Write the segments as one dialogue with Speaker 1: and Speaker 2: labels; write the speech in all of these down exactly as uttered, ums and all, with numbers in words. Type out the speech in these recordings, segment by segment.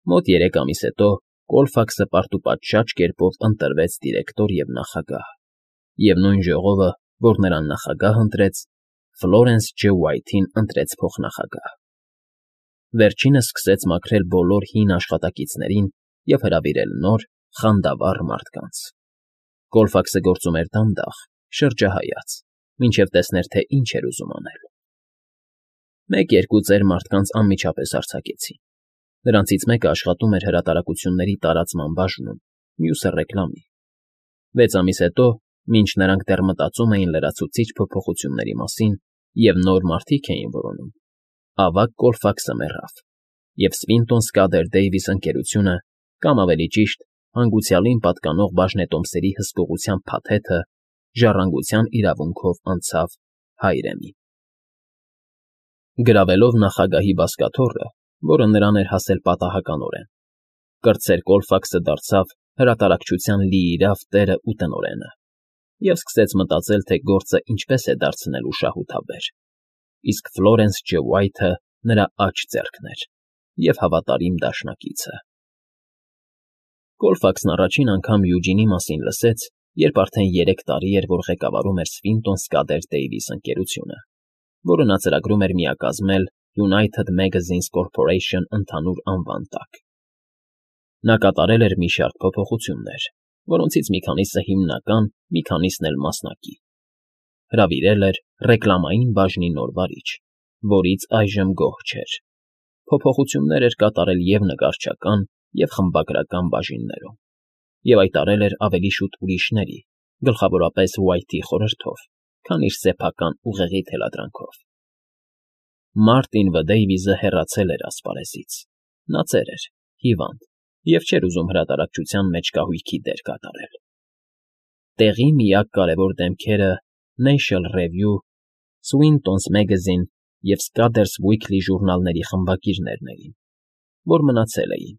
Speaker 1: Մոտ երեք ամիս հետո Կոլֆաքսը պարտուպատշաճ կերպով ընտրվեց դիրեկտոր և նախագահ, և նույն ժողովը, որ նրան նախագահ ընտրեց, Ֆլորենս Ջ. Ուայթին ընտրեց փոխնախագահ։ Վերջինս սկսեց մաքրել բոլոր հին աշխատակիցներին և հրավիրել նոր, խանդավառ մարդկանց։ Կոլֆաքսը գործում էր դանդաղ, շրջահայաց, մինչև տեսներ, թե ինչ էր ուզում անել։ Մեկ֊երկու ծեր մարդկանց անմիջապես արձակեցին. նրանցից մեկը աշխատում էր հրատարակությունների տարածման բաժնում, մյուսը՝ ռեկլամի։ Վեց ամիս հետո, մինչ նրանք դեռ մտածում էին լրացուցիչ փոփոխությունների մասին և նոր մարդիկ էին որոնում, ավագ Կոլֆաքսը մեռավ, և Սվինտոն Սկադեր Դեյվիս ընկերությունը, կամ ավելի ճիշտ, հանգուցյալին պատկանող բաժնետոմսերի հսկողության փաթեթը ժառանգության իրավունքով անցավ Հայրենին։ Գրավելով նախագահի բազկաթոռը, որը նրան էր հասել պատահականորեն, կրտսեր Կոլֆաքսը դարձավ հրատարակչության լիիրավ տերն ու տնօրենը և սկսեց մտածել, թե գործն ինչպես է դարձնելու շահութաբեր, իսկ Ֆլորենս Ջ. Ուայթը նրա աջ ձեռքն էր և հավատարիմ դաշնակիցը։ Կոլֆաքսն առաջին անգամ Յուջինի մասին լսեց, երբ արդեն երեք տարի էր, որ ղեկավարում էր Սվինտոն Սկադեր Դեյվիս ընկերությունը, որը նա ծրագրում էր միակազմել United Magazines Corporation ընդհանուր անվան տակ։ Նա կատարել էր մի շարք փոփոխություններ, որոնցից մի քանիսը հիմնական, մի քանիսն էլ մասնակի։ Հրավիրել էր ռեկլամային բաժնի նոր վարիչ, որից այժմ գոհ չէր։ Փոփոխություններ էր կատարել և նկարչական, և խմբագրական բաժիններում, և այդ արել էր ավելի շուտ ուրիշների, գլխավորապես Ուայթի խորհրդով, քան իր սեփական ուղեղի թելադրանքով։ Մարտին Վ. Դեյվիսը հեռացել էր ասպարեզից։ Նա ծեր էր, հիվանդ և չէր ուզում հրատարակչության մեջ կահույքի դեր կատարել։ Տեղի միակ կարևոր դեմքերը National Review, Swinton's Magazine և Scudder's Weekly ժուրնալների խմբագիրներն էին, որ մնացել էին,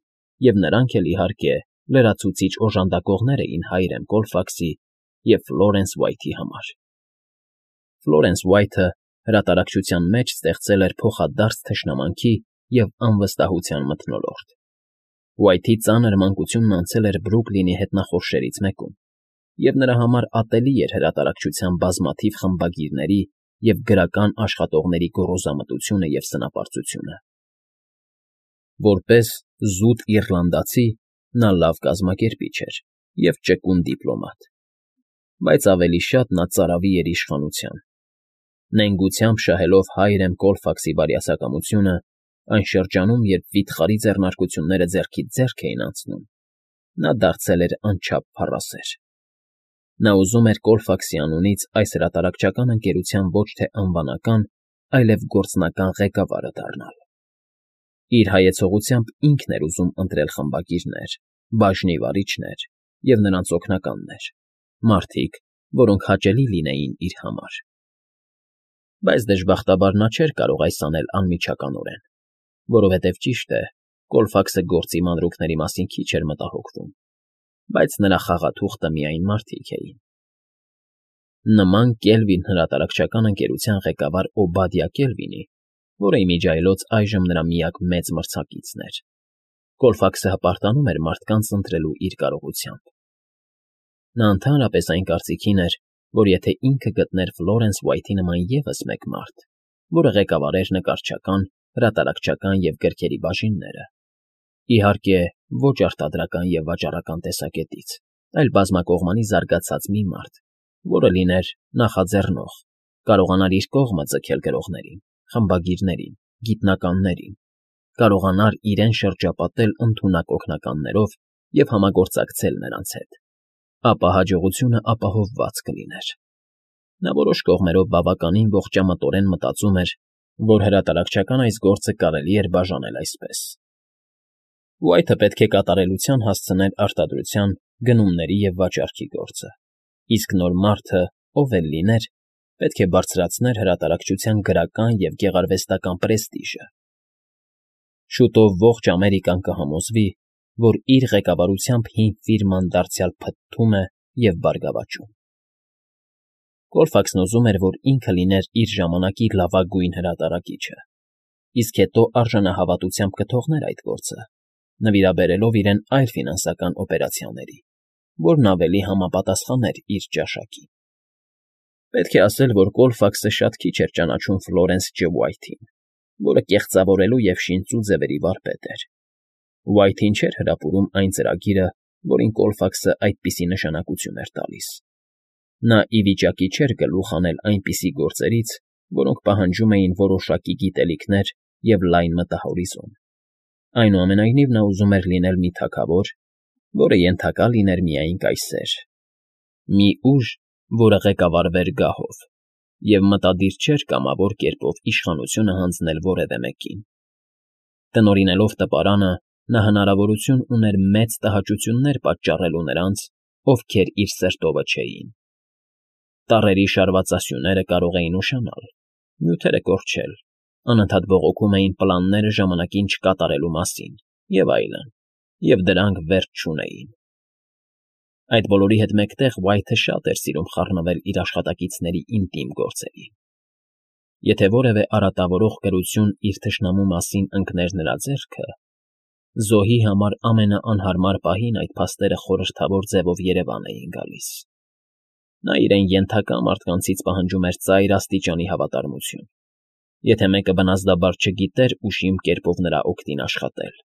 Speaker 1: և նրանք էլ, իհարկե, լրացուցիչ օժանդակողներ էին Հայրեն Կոլֆաքսի և Ֆլորենս Ուայթի համար։ Ֆլորենս Ուայթը հրատարակչության մեջ ստեղծել էր փոխադարձ թշնամանքի և անվստահության մթնոլորտ։ Ուայթի ծանր մանկությունն անցել էր Բրուքլինի հետնախորշերից մեկում, և նրա համար ատելի էր հրատարակչության բազմաթիվ խմբագիրների և գրական աշխատողների գոռոզամտությունը և սնապարծությունը։ Որպես զուտ իռլանդացի նա լավ կազմակերպիչ էր և ճկուն դիպլոմատ, բայց ավելի շատ նա ծարավի էր իշխանության։ Նենգությամբ շահելով Հայրեն Կոլֆաքսի բարյացակամությունը այն շրջանում, երբ վիթխարի ձեռնարկությունները ձեռքից ձեռք էին անցնում, նա դարձել էր անչափ փառասեր։ Նա ուզում էր Կոլֆաքսի անունից այս հրատարակչական ընկերության ոչ թե անվանական, այլև գործնական ղեկավարը դառնալ։ Իր հայեցողությամբ ինքն էր ուզում ընտրել խմբագիրներ, բաժնի վարիչներ և նրանց օգնականներ, մարդիկ, որոնք հաճելի լինեին իր համար։ Բայց դժբախտաբար նա չէր կարող այս անել անմիջականորեն, որովհետև, ճիշտ է, Կոլֆաքսը գործի մանրուքների մասին քիչ էր մտահոգվում, բայց նրա խաղաթուղթը միայն մարդիկ էին։ Նման Կելվին հրատարակչական ընկերության ղեկավար Օբադիա Կելվինի, որը իմիջիայլոց այժմ նրա միակ մեծ մրցակիցն էր, Կոլֆաքսը հպարտանում էր մարդկանց ընտրելու իր կարողությամբ։ Նա ընդհանրապես այն կարծիքին էր, որ եթե ինքը գտներ Ֆլորենս Ուայթի նման ևս մեկ մարդ, որը ղեկավարեր նկարչական, հրատարակչական և գրքերի բաժինները, իհարկե, ոչ արտադրական և վաճառական տեսակետից, այլ բազմակողմանի զարգացած մի մարդ, որը լիներ նախաձեռնող, կարողանար իր կողմը ձգել գրողներին, խմբագիրներին, գիտնականներին, կարողանար իրեն շրջապատել ընդունակ օգնականներով և համագործակցել նրանց հետ, ապա հաջողությունը ապահովված կլիներ։ Նա որոշ կողմերով բավականին ողջամտորեն մտածում էր, որ հրատարակչական այս գործը կարելի էր բաժանել այսպես. Ուայթը պետք է կատարելության հասցներ արտադրության, գնումների և վաճառքի գործը, իսկ նոր մարդը, ով էլ լիներ, պետք է բարձրացներ հրատարակչության գրական և գեղարվեստական պրեստիժը։ Շուտով ողջ Ամերիկան կհամոզվի, որ իր ղեկավարությամբ հին ֆիրման դարձյալ փթթում է և բարգավաճում։ Կոլֆաքսն ուզում էր, որ ինքը լիներ իր ժամանակի լավագույն հրատարակիչը, իսկ հետո արժանահավատությամբ կթողներ այդ գործը, նվիրաբերելով իրեն այլ ֆինանսական օպերացիաների, որն ավելի համապատասխաներ իր ճաշակին։ Պետք է ասել, որ Կոլֆաքսը շատ քիչ էր ճանաչում Ֆլորենս Ջ. Ուայթին, որը կեղծավորելու և շինծու ձևերի վարպետ էր։ Ուայթին չէր հրապուրում այն ծրագիրը, որին Կոլֆաքսը այդպիսի նշանակություն էր տալիս։ Նա ի վիճակի չէր գլուխ հանել այնպիսի գործերից, որոնք պահանջում էին որոշակի գիտելիքներ և լայն մտահորիզոն։ Այնուամենայնիվ նա ուզում էր լինել մի թագավոր, որը ենթակա լիներ միայն կայսեր, մի ուժ, որը ղեկավարվեր գահով, և մտադիր չէր կամավոր կերպով իշխանությունը հանձնել որևէ մեկին։ Տնօրինելով տպարանը՝ նա հնարավորություն ուներ մեծ տհաճություններ պատճառելու նրանց, ովքեր իր սրտովը չէին։ Տառերի շարվածասյուները կարող էին ուշանալ, նյութերը կորչել, անընդհատ բողոքում էին պլանները ժամանակին չկատարելու մասին և այլն, և դրանք վերջ չունեին։ Այդ բոլորի հետ մեկտեղ Ուայթը շատ էր սիրում խառնվել իր աշխատակիցների ինտիմ գործերին։ Եթե որևէ արատավորող գրություն իր թշնամու մասին ընկներ նրա ձեռքը, զոհի համար ամենաանհարմար պահին այդ փաստերը խորհրդավոր ձևով երևան էին գալիս։ Նա իրեն ենթակա մարդկանցից պահանջում էր ծայր աստիճանի հավատարմություն։ Եթե մեկը բնազդաբար չգիտեր ուշիմ կերպով նրա օգտին աշխատել,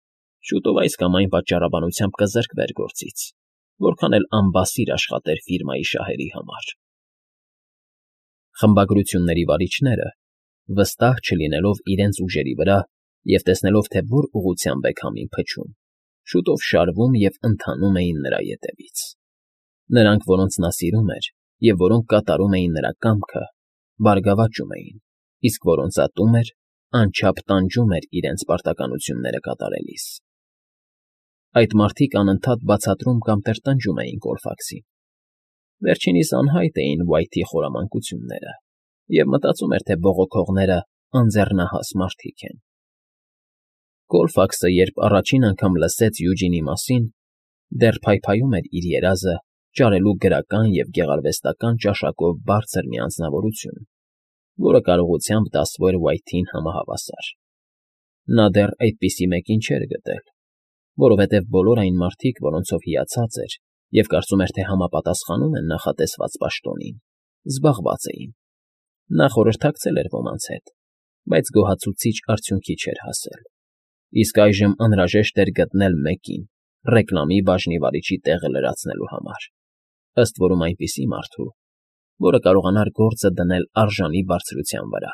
Speaker 1: շուտով այս կամ այն պատճառաբանությամբ կզրկվեր գործից, որքան էլ անբասիր աշխատեր ֆիրմայի շահերի համար։ Խմբագրությունների վարիչները, վստահ չլինելով իրենց ուժերի վրա և տեսնելով, թե որ ուղղությամբ է քամին փչում, շուտով շարվում և ընթանում էին նրա ետևից։ Նրանք, որոնց նա սիրում էր և որոնք կատարում էին նրա կամքը, բարգավաճում էին, իսկ որոնց ատում էր, անչափ տանջում էր իրենց պարտականությունները կատարելիս։ Այդ մարդիկ անընդհատ բացատրում կամ տրտնջում էին Կոլֆաքսին։ Վերջինիս անհայտ էին Ուայթի խորամանկությունները, և մտածում էր, թե բողոքողները անձեռնահաս մարդիկ են։ Կոլֆաքսը, երբ առաջին անգամ լսեց Յուջինի մասին, դեռ փայփայում էր իր երազը ճարելու գրական և գեղարվեստական ճաշակով բարձր մի անձնավորություն, որը կարողությամբ դասվեր Ուայթին համահավասար։ Նա դեռ այդպիսի մեկին չէր գտել, որովհետև բոլոր այն մարդիկ, որոնցով հիացած էր և կարծում էր, թե համապատասխանում են նախատեսված պաշտոնին, զբաղված էին։ Նա խորհրդակցել էր ոմանց հետ, բայց գոհացուցիչ արդյունքի չէր հասել։ Իսկ այժմ անհրաժեշտ էր գտնել մեկին ռեկլամի բաժնի վարիչի տեղը լրացնելու համար, ըստ որում այնպիսի մարդու, որը կարողանար գործը դնել արժանի բարձրության վրա։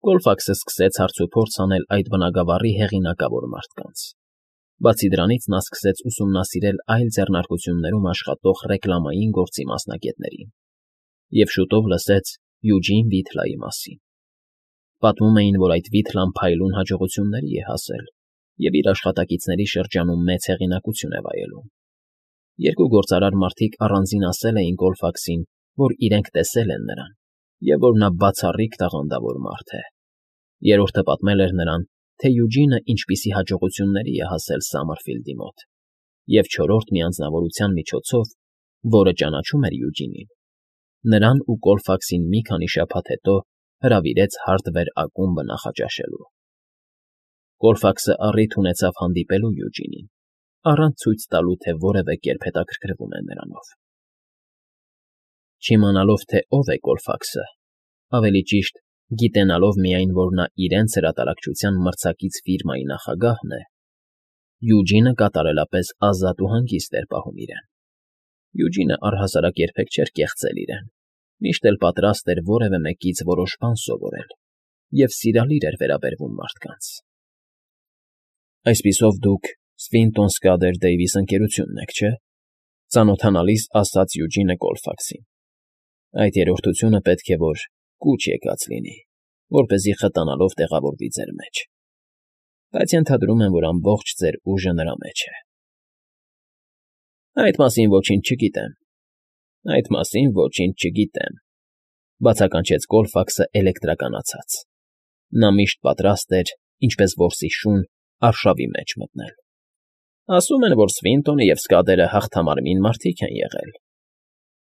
Speaker 1: Կոլֆաքսը սկսեց հարցուփորձ անել այդ բնագավառի հեղինակավոր մարդկանց։ Բացի դրանից նա սկսեց ուսումնասիրել այլ ձեռնարկություններում աշխատող ռեկլամային գործի մասնագետներին և շուտով լսեց Յուջին Վիթլայի մասին։ Պատմում էին, որ այդ Վիթլան փայլուն հաջողությունների է հասել և իր աշխատակիցների շրջանում մեծ հեղինակություն է վայելում։ Երկու գործարար մարդիկ առանձին ասել էին Կոլֆաքսին, որ իրենք տեսել են նրան և որ նա բացառիկ տաղանդավոր մարդ է։ Երրորդը պատմել էր նրան, թե Յուջինը ինչպիսի հաջողությունների է հասել Սամերֆիլդի մոտ, և չորրորդ մի անձնավորության միջոցով, որը ճանաչում էր Յուջինին, նրան ու Կոլֆաքսին մի քանի շաբաթ հետո հրավիրեց հարդվեր ակումբը նախաճաշելու։ Կոլֆաքսը առիթ ունեցավ հանդիպելու Յուջինին, առանց ցույց տալու, թե որևէ կերպ հետաքրքրվում է նրանով։ Չիմանալով, թե ով է Կոլֆաքսը, ավելի ճիշտ, գիտենալով միայն, որ նա իրենց հրատարակչության մրցակից ֆիրմայի նախագահն է, Յուջինը կատարելապես ազատ ու հանգիստ էր պահում իրեն։ Յուջինը առհասարակ երբեք չէր կեղծել իրեն, միշտ էլ պատրաստ էր որևէ մեկից որոշ բան սովորել և սիրալիր էր վերաբերվում մարդկանց։ Այսպիսով դուք Սվինտոն Սկադեր Դեյվիս ընկերությունն եք, չէ՞, ծանոթանալիս ասաց Յուջինը Կոլֆաքսին։ Այդ երրորդությունը պետք է որ կուչ եկած լինի, որպեսզի խտանալով տեղավորվի ձեր մեջ, բայց ենթադրում եմ, որ ամբողջ ձեր ուժը նրա մեջ է։ Այդ մասին ոչինչ չգիտեմ, այդ մասին ոչինչ չգիտեմ, բացականչեց Կոլֆաքսը էլեկտրականացած։ Նա միշտ պատրաստ էր, ինչպես որսի շուն, արշավի մեջ մտնել։ Ասում են, որ Սվինտոնը և Սկադերը հաղթամարմին մարդիկ են եղել։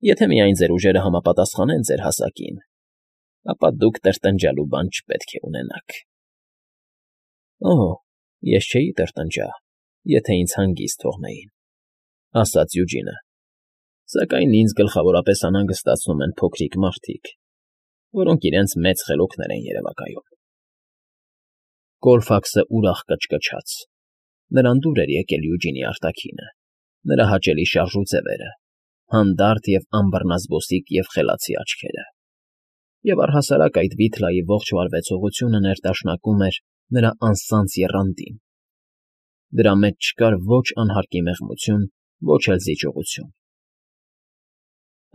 Speaker 1: Եթե միայն ձեր ուժերը համապատասխանեն ձեր հասակին, ապա դուք տրտնջալու բան չպետք է ունենաք։ Օհ, Ես չէի տրտնջա, եթե ինձ հանգիստ թողնեին, ֊ ասաց Յուջինը, սակայն ինձ գլխավորապես անհանգստացնում են փոքրիկ մարդիկ, որոնք իրենց մեծ խելոքներ են երևակայում։ Կոլֆաքսը ուրախ կչկչաց. նրան դուր էր եկել Յուջինի արտաքինը, նրա հաճելի շարժուձևերը, հանդարտ և անբռնազբոսիկ և խելացի աչքերը, և առհասարակ այդ բիթլայի ողջ վարվեցողությունը ներդաշնակում էր նրա անսանձ եռանդին. դրա մեջ չկար ոչ անհարկի մեղմություն, ոչ էլ զիջողություն։ ֊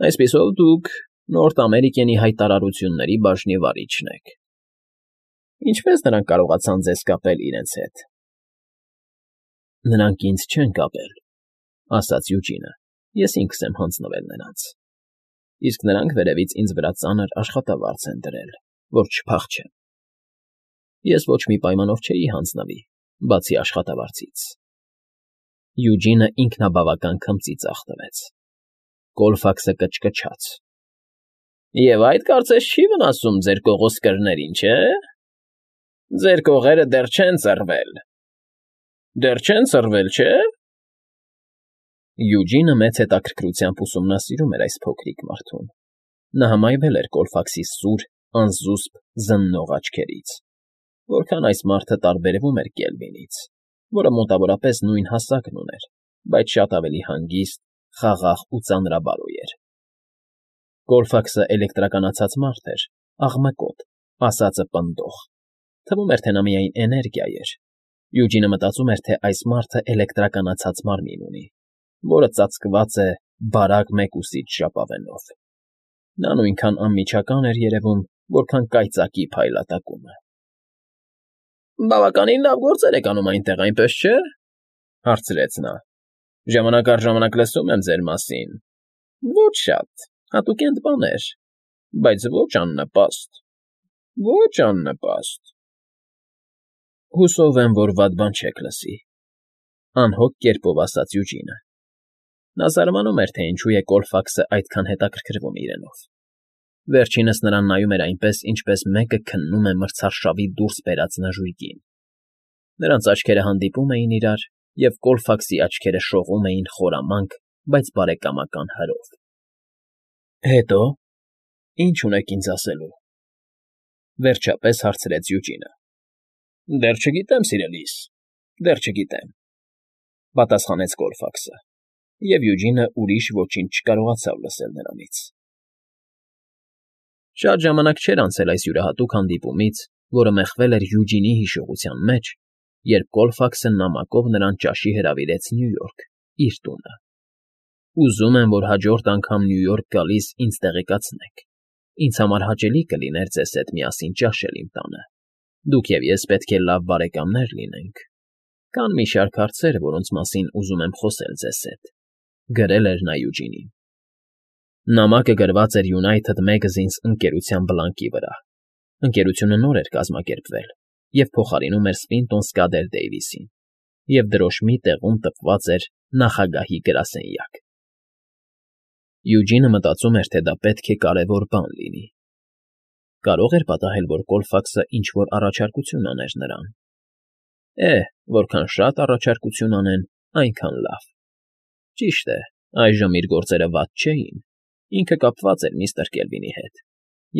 Speaker 1: Այսպիսով դուք Նորթ Ամերիկենի հայտարարությունների բաժնի վարիչն եք, ինչպե՞ս նրանք կարողացան ձեզ կապել իրենց հետ։ ֊ Նրանք ինձ չեն կապել, ֊ ասաց Յուջինը, ես ինքս եմ հանձնվել նրանց, իսկ նրանք վերևից ինձ վրա ծանր աշխատավարձ են դրել, որ չփախչեմ։ Ես ոչ մի պայմանով չէի հանձնվի, բացի աշխատավարձից։ Յուջինը ինքնաբավական քմծի ձախ տվեց. Կոլֆաքսը կչկչաց. ֊ Եվ այդ կարծես չի վնասում ձեր կողոսկրներին, չէ՞։ Ձեր կողերը դեռ չեն ծռվել։ Դեռ չեն ծռվել, չէ՞։ Յուջինը մեծ հետաքրքրությամբ ուսումնասիրում էր այս փոքրիկ մարդուն. նա հմայվել էր Կոլֆաքսի սուր, անզուսպ, զննող աչքերից, որքան այս մարդը տարբերվում էր Կելվինից, որը մոտավորապես նույն հասակն ուներ, բայց շատ ավելի հանգիստ, խաղաղ ու ծանրաբարոյ էր։ Կոլֆաքսը էլեկտրականացած մարդ էր, աղմկոտ, ասածը պնդող, թվում էր, թե նա միայն էներգիա էր։ Յուջինը մտածում էր, թե այս մարդը էլեկտրականացած մարմին ունի, որը ծածկված է բարակ մեկուսիչ ժապավենով։ Նա նույնքան անմիջական էր երևում, որքան կայծակի փայլատակումը։ ֊ Բավականին լավ գործեր եք անում այնտեղ, այնպես չէ՞, ֊ հարցրեց նա։ ֊ Ժամանակ առ ժամանակ լսում եմ ձեր մասին։ Ոչ շատ, հատուկենտ բաներ, բայց ոչ աննպաստ, ոչ աննպաստ։ ֊ Հուսով եմ, որ վատ բան չեք լսի, ֊ անհոգ կերպով ասաց Յուջինը։ Նա զարմանում էր, թե ինչու է Կոլֆաքսը այդքան հետաքրքրվում իրենով։ Վերջինս նրան նայում էր այնպես, ինչպես մեկը քննում է մրցարշավի դուրս բերած նժույգին։ Նրանց աչքերը հանդիպում էին իրար, և Կոլֆաքսի աչքերը շողում էին խորամանկ, բայց բարեկամական հրով։ ֊ Հետո՞, ինչ ունեք ինձ ասելու, ֊ վերջապես հարցրեց Յուջինը։ ֊ Դեռ չգիտեմ, սիրելիս, դեռ չգիտեմ, ֊ պատասխանեց Կոլֆաքսը, և Յուջինը ուրիշ ոչինչ չկարողացավ լսել նրանից։ Շատ ժամանակ չէր անցել այս յուրահատուկ հանդիպումից, որը մեխվել էր Յուջինի հիշողության մեջ, երբ Կոլֆաքսը նամակով նրան ճաշի հրավիրեց Նյու Յորք, իր տունը։ Ուզում եմ, որ հաջորդ անգամ Նյու Յորք գալիս ինձ տեղեկացնեք, ինձ համար հաճելի կլիներ ձեզ հետ միասին ճաշել իմ տանը, դուք և ես պետք է լավ բարեկամներ լինենք։ Կան մի շարք հարցեր, որոնց մասին ուզում եմ խոսել ձեզ հետ, ֊ գրել էր նա Յուջինին։ Նամակը գրված էր United Magazines ընկերության բլանկի վրա։ Ընկերությունը նոր էր կազմակերպվել և փոխարինում էր Սվինտոն Սկադեր Դեյվիսին, և դրոշմի տեղում տպված էր նախագահի գրասենյակ։ Յուջինը մտածում էր, թե դա պետք է կարևոր բան լինի։ Կարող էր պատահել, որ Կոլֆաքսը ինչ֊որ առաջարկություն աներ նրան։ Է, որքան շատ առաջարկություն անեն, այնքան լավ։ Ճիշտ է, այժմ իր գործերը վատ չէին, ինքը կապված էր միստր Կելվինի հետ,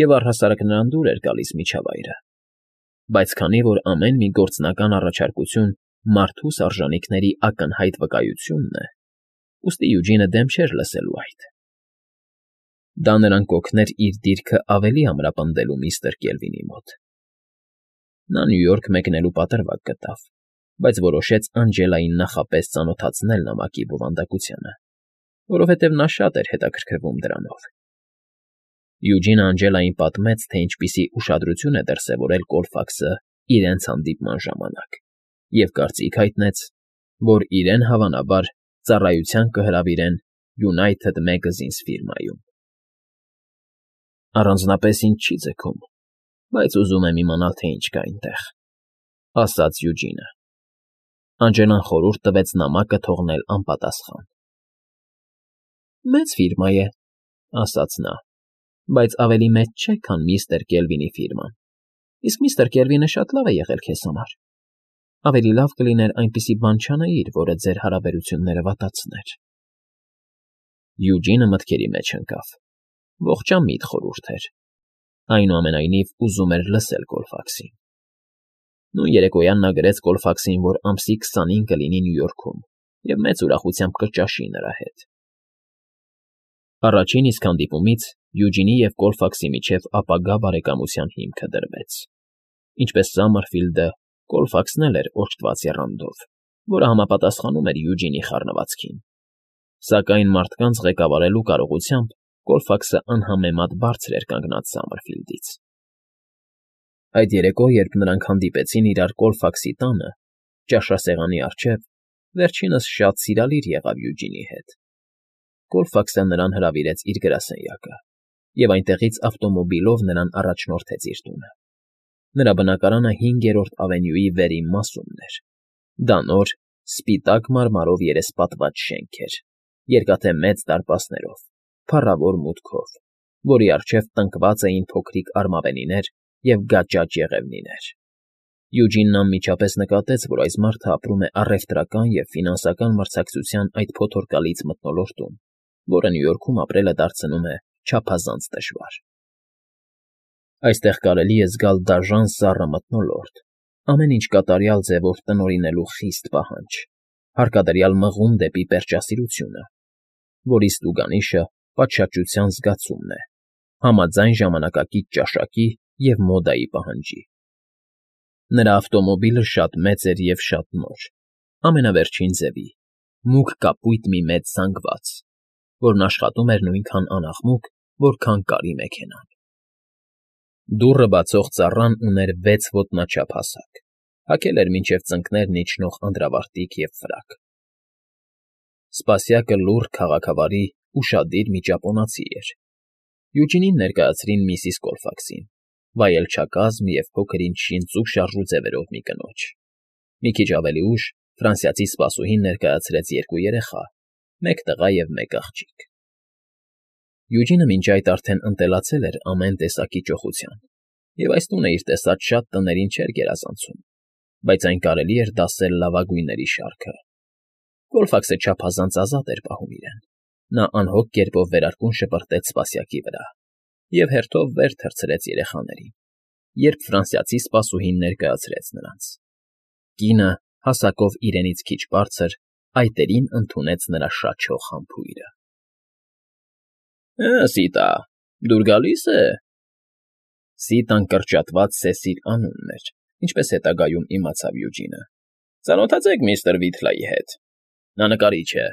Speaker 1: և առհասարակ նրան դուր էր գալիս միջավայրը։ Բայց քանի որ ամեն մի գործնական առաջարկություն մարդուս արժանիքների ակնհայտ վկայությունն է, ուստի Յուջինը դեմ չէր լսելու այդ։ Դա նրան կօգներ իր դիրքը ավելի ամրապնդելու միստր Կելվինի մոտ։ Նա Նյու Յորք մեկնելու պատրվակ գտավ, բայց որոշեց Անջելային նախապես ծանոթացնել նամակի բովանդակությանը, որովհետև նա շատ էր հետաքրքրվում դրանով։ Յուջինը Անջելային պատմեց, թե ինչպիսի ուշադրություն է դրսևորել Կոլֆաքսը իրենց հանդիպման ժամանակ, և կարծիք հայտնեց, որ իրեն, հավանաբար, ծառայության կհրավիրեն United Magazines ֆիրմայում։ Առանձնապես ինձ չի ձգում, բայց ուզում եմ իմանալ, թե ինչ կա այնտեղ, ֊ ասաց Յուջինը։ Անջելան խորհուրդ տվեց նամակը թողնել անպատասխան։ ֊ Մեծ ֆիրմա է, ֊ ասաց նա, ֊ բայց ավելի մեծ չէ, քան միստր Կելվինի ֆիրման, իսկ միստր Կելվինը շատ լավ է եղել քեզ համար։ Ավելի լավ կլիներ այնպիսի բան չանեիր, որը ձեր հարաբերությունները վատացներ։ Յուջինը մտքերի մեջ ընկավ։ Ողջամիտ խորհուրդ էր։ Այնուամենայնիվ ուզում էր լսել Կոլֆաքսին։ Նույն երեկոյան նա գրեց Կոլֆաքսին, որ ամսի քսանին կլինի Նյու Յորքում և մեծ ուրախությամբ կճաշի նրա հետ։ Առաջին իսկ հանդիպումից Յուջինի և Կոլֆաքսի միջև ապագա բարեկամության հիմքը դրվեց։ Ինչպես Սամերֆիլդը, Կոլֆաքսն էլ էր օժտված եռանդով, որը համապատասխանում էր Յուջինի խառնվածքին։ Սակայն մարդկանց ղեկավարելու կարողությամբ Կոլֆաքսը անհամեմատ բարձր էր կանգնած Սամերֆիլդից։ Այդ երեկո, երբ նրանք հանդիպեցին իրար Կոլֆաքսի տանը, ճաշասեղանի առջև, վերջինս շատ սիրալիր եղավ Յուջինի հետ։ Կոլֆաքսը նրան հրավիրեց իր գրասենյակը և այնտեղից ավտոմոբիլով նրան առաջնորդեց իր տունը։ Նրա բնակարանը հինգերորդ ավենյուի վերին մասումն էր։ Դա նոր, սպիտակ մարմարով երեսպատված շենք էր, երկաթե մեծ դարպասներով, փառավոր մուտքով, որի առջև տնկված էին փոքրիկ արմավենիներ և գաճաճ եղևնիներ։ Յուջինն անմիջապես նկատեց, որ այս մարդը ապրում է առևտրական և ֆինանսական մրցակցության այդ փոթորկալից մթնոլորտում, որը Նյու Յորքում ապրելը դարձնում է չափազանց դժվար։ Այստեղ կարելի է զգալ դաժան սառը մթնոլորտ, ամեն ինչ կատարյալ ձևով տնօրինելու խիստ պահանջ, հարկադրյալ մղում դեպի պերճասիրությունը, որի ստուգանիշը պատշաճության զգացումն է, համաձայն ժամանակակից ճաշակի և մոդայի պահանջի։ Նրա ավտոմոբիլը շատ մեծ էր և շատ նոր, ամենավերջին ձևի, մուգ կապույտ մի մեծ զանգված, որն աշխատում էր նույնքան անաղմուկ, որքան կարի մեքենան։ Դուռը բացող ծառան ուներ վեց ոտնաչափ հասակ, հագել էր մինչև ծնկներն իջնող անդրավարտիք և ֆրակ։ Սպասյակը լուռ, քաղաքավարի, ուշադիր մի ճապոնացի էր։ Յուջինին ներկայացրին միսիս Կոլֆաքսին, վայելչակազմ և փոքր-ինչ շինծու շարժու ձևերով մի կնոջ։ Մի քիչ ավելի ուշ ֆրանսիացի սպասուհին ներկայացրեց երկու երեխա, մեկ տղա և մեկ աղջիկ։ Յուջինը մինչ այդ արդեն ընտելացել էր ամեն տեսակի ճոխության և այս տունը իր տեսած շատ տներին չէր գերազանցում, բայց այն կարելի էր դասել լավագույնների շարքը։ Կոլֆաքսը չափազանց ազատ էր պահում իրեն։ Նա անհոգ կերպով վերարկուն շպրտեց սպասյակի վրա և հերթով վեր թռցրեց երեխաներին, երբ ֆրանսիացի սպասուհին ներկայացրեց նրանց։ Կինը, հասակով իրենից քիչ բարձր, այտերին ընդունեց նրա շաչող համբույրը։ ֊ Սիտա, դուր գալի՞ս է։ Սիտան կրճատված Սեսիլ անունն էր, ինչպես հետագայում իմացավ Յուջինը։ Ծանոթացեք միստր Վիթլայի հետ։ Նա նկարիչ է,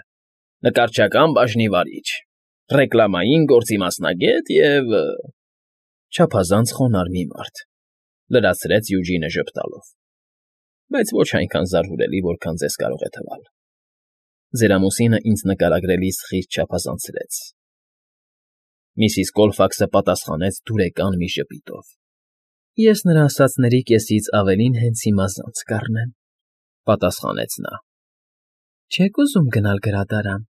Speaker 1: նկարչական բաժնի վարիչ, ռեկլամային գործի մասնագետ և… չափազանց խոնարհ մի մարդ, լրացրեց Յուջինը ժպտալով, բայց ոչ այնքան զարհուրելի, որքան ձեզ կարող է թվալ։ Ձեր ամուսինը ինձ նկարագրելիս խիստ չափազանցրեց։ Միսիս Կոլֆաքսը պատասխանեց դուրեկան մի ժպիտով։ Ես նրա ասածների կեսից ավելին հենց հիմա զանց կառնեմ, պատասխանեց նա։ Չե՞ք ուզում գնալ գրադարան։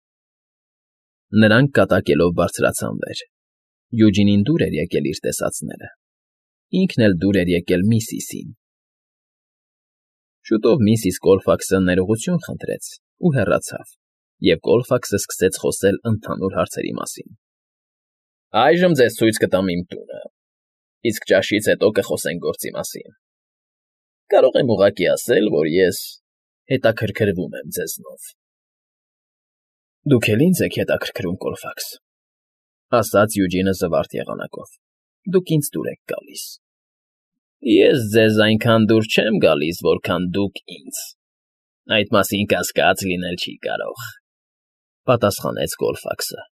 Speaker 1: Նրանք կատակելով բարձրացան վեր։ Յուջինին դուր էր եկել իր տեսածները։ Ինքն էլ դուր էր եկել միսիսին։ Շուտով միսիս Կոլֆաքսը ներողություն խնդրեց ու հեռացավ, և Կոլֆաքսը սկսեց խոսել ընդհանուր հարցերի մասին։ Այժմ ձեզ ցույց կտամ իմ տունը, իսկ ճաշից հետո կխոսենք գործի մասին։ Կարող եմ ուղղակի ասել, որ ես հետաքրքրվում եմ ձեզնով։ Դուք էլ ինձ եք հետաքրքրում, Կոլֆաքս, ասաց Յուջինը զվարթ եղանակով։ Դուք ինձ դուր եք գալիս։ Ես ձեզ այնքան դուր չեմ գալիս, որքան դուք ինձ։ Այդ մասին կասկած լինել չի կարող, պատասխանեց Կոլֆաքսը։